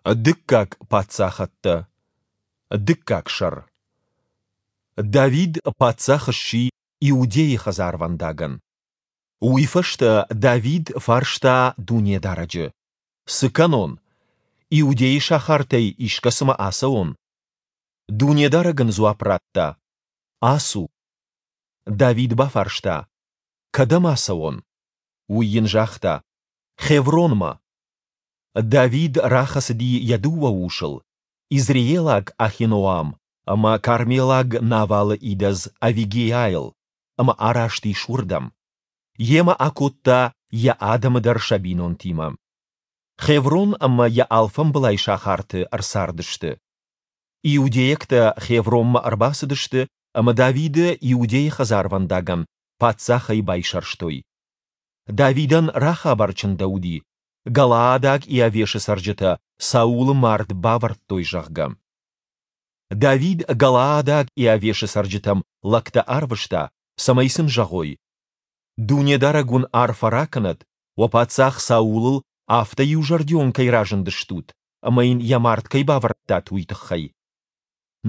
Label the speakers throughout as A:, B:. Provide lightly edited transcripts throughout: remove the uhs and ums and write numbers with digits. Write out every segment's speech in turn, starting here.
A: Дыккаг паддзахӕдтӕ. Дыккаг сӕр. Давид паддзах сси Иудӕйы хӕдзарвӕндагӕн. Уый фӕстӕ Давид фарста Дунедарӕджы: Цы кӕнон? Иудӕйы сахартӕй искӕцымӕ ацӕуон? Дунедарӕг ын дзуапп радта: Ацу. Давид бафарста: Кӕдӕм ацӕуон? Уый йын загъта: Хевронмӕ. Давид рахӕцыди йӕ дыууӕ усыл, изреелаг Ахиноам ӕмӕ кармелаг Навалы идӕдз Авигейӕйыл, ӕмӕ араст ис уырдӕм. Йемӕ акодта йӕ адӕмы дӕр сӕ бинонтимӕ. Хеврон ӕмӕ йӕ алфамбылай сахарты ӕрцардысты. Иудейӕгтӕ Хевронмӕ ӕрбацыдысты ӕмӕ Давиды Иудӕйы хӕдзарвӕндагӕн паддзахӕй байсӕрстой. Давидӕн рахабар чындӕуыди, галаадаг Иавешы цӕрджытӕ Саулы мард бавӕрдтой, зӕгъгӕ. Давид галаадаг Иавешы цӕрджытӕм лӕгтӕ арвыста, цӕмӕй сын зӕгъой: Дунедарӕг уын арфӕ ракӕнӕд, уӕ паддзах Саулыл афтӕ иузӕрдион кӕй разындыстут ӕмӕ йын йӕ мард кӕй бавӕрдтат, уый тыххӕй.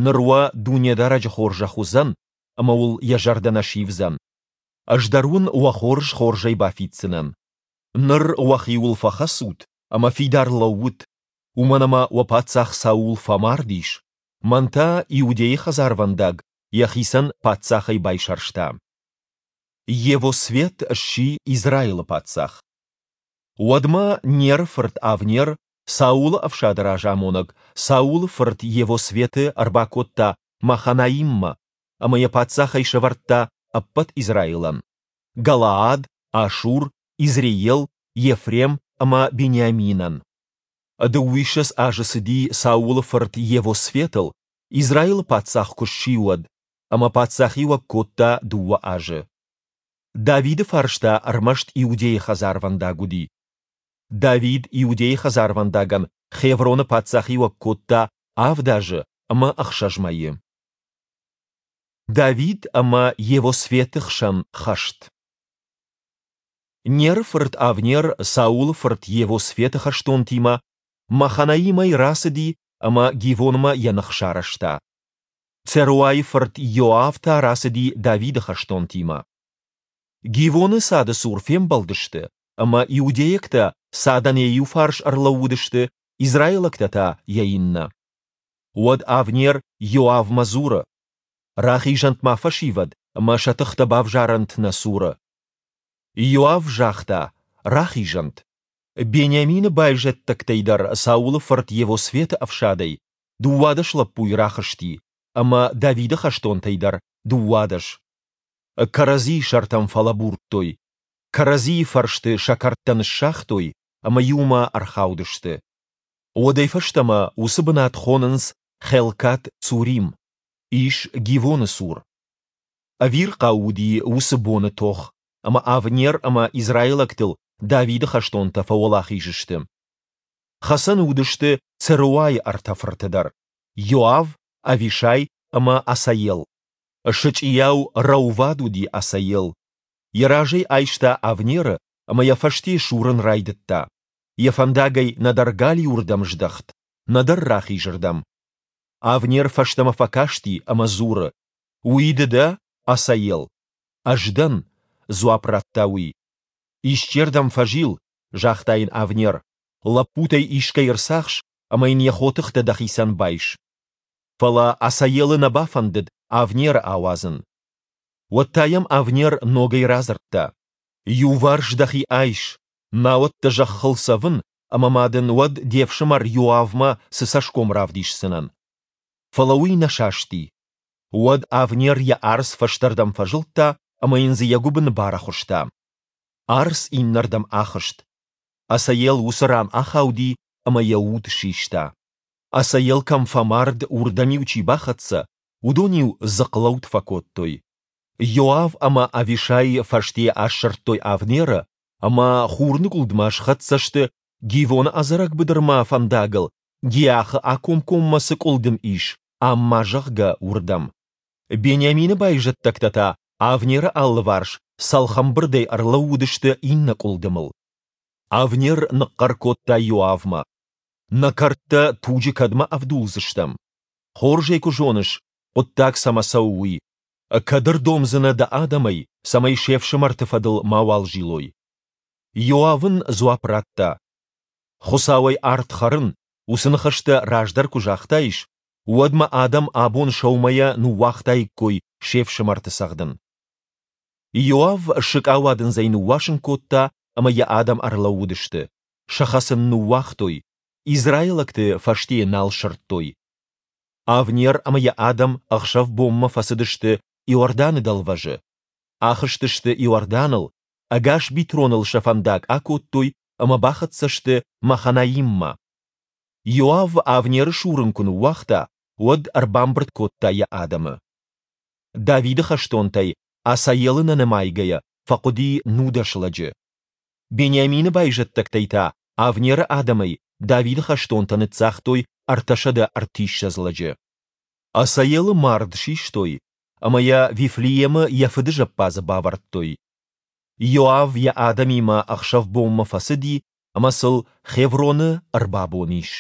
A: Ныр уӕ Дунедарӕджы хорзӕх уыдзӕн ӕмӕ уыл йӕ зӕрдӕ нӕ сивдзӕн. Ӕз дӕр уын уӕ хорз хорзӕй бафиддзынӕн. Ныр уӕхиуыл фӕхӕцут ӕмӕ фидар лӕуут, уымӕн ӕмӕ уӕ паддзах Саул фӕмард ис, мӕн та Иудӕйы хӕдзарвӕндаг йӕхицӕн паддзахӕй байсӕрста. Йевосфет сси Израилы паддзах. Уӕдмӕ Неры фырт Авнер, Саулы ӕфсады разамонӕг, Саулы фырт Йевосфеты ӕрбакодта Маханаиммӕ ӕмӕ йӕ паддзахӕй сӕвӕрдта ӕппӕт Израилӕн, Галаад, Ашур, Изреел, Ефрем ӕмӕ Бениаминӕн. Дыууиссӕдз азы цыди Саулы фырт Йевосфетыл, Израилы паддзах куы сси, уӕд, ӕмӕ паддзахиуӕг кодта дыууӕ азы. Давиды фарс та ӕрмӕст Иудӕйы хӕдзарвӕндаг уыди. Давид Иудӕйы хӕдзарвӕндагӕн Хевроны паддзахиуӕг кодта авд азы ӕмӕ ӕхсӕз мӕйы. Давид ӕмӕ Йевосфеты хсӕн хӕст. Неры фырт Авнер Саулы фырт Йевосфеты хӕстонтимӕ Маханаимӕй рацыди ӕмӕ Гивонмӕ йӕ ных сарӕзта. Церуайы фырт Иоав та рацыди Давиды хӕстонтимӕ. Гивоны цады цур фембӕлдысты, ӕмӕ иудейӕгтӕ цадӕн йӕ иу фарс ӕрлӕууыдысты, израилӕгтӕ та йӕ иннӕ. Уӕд Авнер Иоавмӕ дзуры: Рахизӕнт ма фӕсивӕд ӕмӕ сӕ тыхтӕ бавзарӕнт нӕ цуры. Иоав загъта: Рахизӕнт. Бениамины байзӕддӕгтӕй дӕр Саулы фырт Йевосфеты ӕфсадӕй 12 лӕппуйы рахызти, ӕмӕ Давиды хӕстонтӕй дӕр 12. Кӕрӕдзийы сӕртӕм фӕлӕбурдтой, кӕрӕдзийы фӕрсты сӕ кӕрдтӕ ныссагътой ӕмӕ иумӕ ӕрхаудысты. Уӕдӕй фӕстӕмӕ уыцы бынат хонынц Хелкат-Цурим, ис Гивоны цур. Ӕвирхъау уыди уыцы боны тох, ӕмӕ Авнер ӕмӕ израилӕгтыл Давиды хӕстонтӕ фӕуӕлахиз сты. Хӕцӕны уыдысты Церуайы ӕртӕ фырты дӕр: Иоав, Авишай ӕмӕ Асаел. Сычъийау рӕувад уыди Асаел. Йӕ разӕй айста Авнеры ӕмӕ йӕ фӕсте сурын райдыдта. Йӕ фӕндагӕй нӕдӕр галиуырдӕм здӕхт, нӕдӕр рахизырдӕм. Авнер фӕстӕмӕ фӕкасти ӕмӕ дзуры: «Уый ды дӕ, Асаел?» «Ӕз дӕн», — дзуапп радта уый. «Исчердӕм фӕзил», — загъта йын Авнер. «Лӕппутӕй искӕй ӕрцахс ӕмӕ йын йӕ хотыхтӕ дӕхицӕн байс». Фӕлӕ Асаелы нӕ бафӕндыд Авнеры ауадзын. Уӕд та йӕм Авнер ногӕй радзырдта: «Иуварс дӕхи айс, науӕд дӕ зӕххыл цӕвын, ӕмӕ ма дын уӕд де фсымӕр Иоавмӕ цы цӕсгом равдисдзынӕн?» Фӕлӕ уый нӕ састи. Уӕд Авнер йӕ арц фӕстӕрдӕм фӕзылдта ӕмӕ йын дзы йӕ гуыбын барӕхуыста. Арц иннӕрдӕм ахызт. Асаел уыцы ран ахауди ӕмӕ йӕ уд систа. Асаел кӕм фӕмард, уырдӕм-иу чи бахӕццӕ, уыдон-иу дзыхълӕуд фӕкодтой. Иоав ӕмӕ Авишай фӕстейӕ ассырдтой Авнеры ӕмӕ хурныгуылдмӕ схӕццӕ сты Гивоны ӕдзӕрӕг быдырмӕ фӕндагыл, Гиахы акомкоммӕ цы къуылдым ис, Амма, зӕгъгӕ, уырдӕм. Бениамины байзӕддӕгтӕ та Авнеры алыварс цӕлхӕмбырдӕй ӕрлӕууыдысты иннӕ къуылдымыл. Авнер ныхъхъӕр кодта Иоавмӕ. Нӕ кӕрдтӕ туджы кӕдмӕ ӕвдулдзыстӕм? Хорз ӕй куы зоныс, хъуыддаг цӕмӕ цӕуы, уый. Кӕд ӕрдомдзынӕ дӕ адӕмӕй, цӕмӕй се фсымӕрты фӕдыл мауал зилой? Иоав ын дзуапп радта, Хуыцауӕй ард хӕрын, уыцы ныхӕстӕ раздӕр куы загътаис, уӕд мӕ адӕм абон сӕумӕйӕ ныууагътаиккой се фсымӕрты цӕгъдын. Иоав сыкъауадындзӕй ныууасын кодта ӕмӕ йӕ адӕм ӕрлӕууыдысты, сӕ хӕцын ныууагътой, израилӕгты фӕстейӕ нал сырдтой. Авнер ӕмӕ йӕ адӕм ӕхсӕв-бонмӕ фӕцыдысты Иорданы дӕлвӕзы. Ахызтысты Иорданыл, ӕгас Битроныл сӕ фӕндаг акодтой ӕмӕ бахӕццӕ сты Маханаиммӕ. Иоав Авнеры сурын куы ныууагъта, уӕд ӕрбамбырд кодта йӕ адӕмы. Давиды хӕстонтӕй, Асаелы нӕ нымайгӕйӕ, фӕхъуыди 19 лӕджы. Бениамины байзӕддӕгтӕй та Авнеры адӕмӕй Давиды хӕстонтӕ ныццагътой 330 лӕджы. Асаелы мард систой ӕмӕ йӕ Вифлеемы йӕ фыды зӕппадзы бавӕрдтой. Иоав йӕ адӕмимӕ ӕхсӕв-бонмӕ фӕцыди ӕмӕ сыл Хевроны ӕрбабон ис.